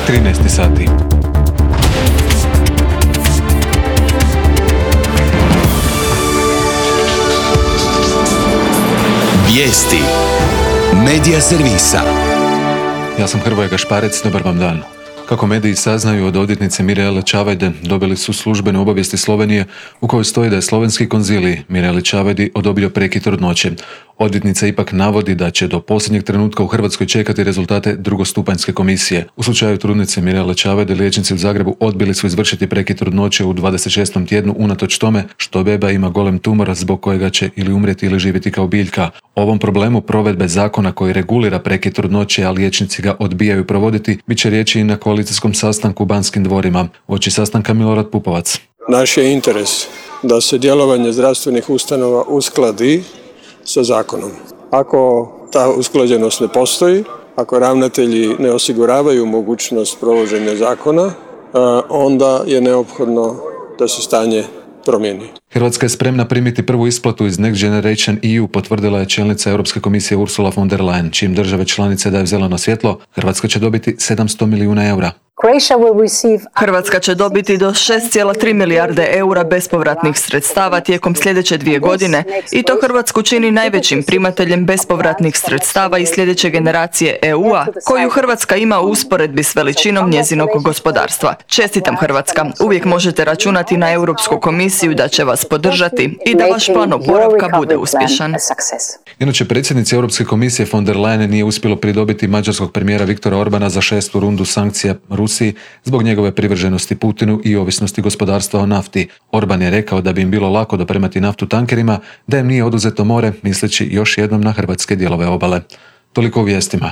13 sati. Vijesti Medija servisa. Ja sam Hrvoje Gašparec, dobar vam dan. Kako mediji saznaju od odvjetnice Mirele Čavajde, dobili su službene obavijesti Slovenije u kojoj stoji da je slovenski konzilij Mireli Čavajdi odobrio prekid trudnoće. Odvjetnica ipak navodi da će do posljednjeg trenutka u Hrvatskoj čekati rezultate drugostupanjske komisije. U slučaju trudnice Mirele Čavajde liječnici u Zagrebu odbili su izvršiti prekid trudnoće u 26. tjednu unatoč tome što beba ima golem tumor zbog kojega će ili umrijeti ili živjeti kao biljka. Ovom problemu provedbe zakona koji regulira prekid trudnoće, a liječnici ga odbijaju provoditi, bit će riječi i na koalicijskom sastanku u Banskim dvorima. Uoči sastanka Milorad Pupovac. Naš je interes da se djelovanje zdravstvenih ustanova uskladi sa zakonom. Ako ta usklađenost ne postoji, ako ravnatelji ne osiguravaju mogućnost provođenja zakona, onda je neophodno da se stanje promijeni. Hrvatska je spremna primiti prvu isplatu iz Next Generation EU, potvrdila je čelnica Europske komisije Ursula von der Leyen. Čim države članice daju zeleno svjetlo, Hrvatska će dobiti 700 milijuna eura. Hrvatska će dobiti do 6,3 milijarde eura bespovratnih sredstava tijekom sljedeće 2 godine i to Hrvatsku čini najvećim primateljem bespovratnih sredstava iz sljedeće generacije EU-a, koju Hrvatska ima u usporedbi s veličinom njezinog gospodarstva. Čestitam Hrvatska, uvijek možete računati na Europsku komisiju da će vas podržati i da vaš plan oporavka bude uspješan. Inače, predsjednici Europske komisije von der Leyen nije uspjelo pridobiti mađarskog premijera Viktora Orbana za 6. rundu sankcija Rusiji zbog njegove privrženosti Putinu i ovisnosti gospodarstva o nafti. Orban je rekao da bi im bilo lako dopremati naftu tankerima, da im nije oduzeto more, misleći još jednom na hrvatske dijelove obale. Toliko u vijestima.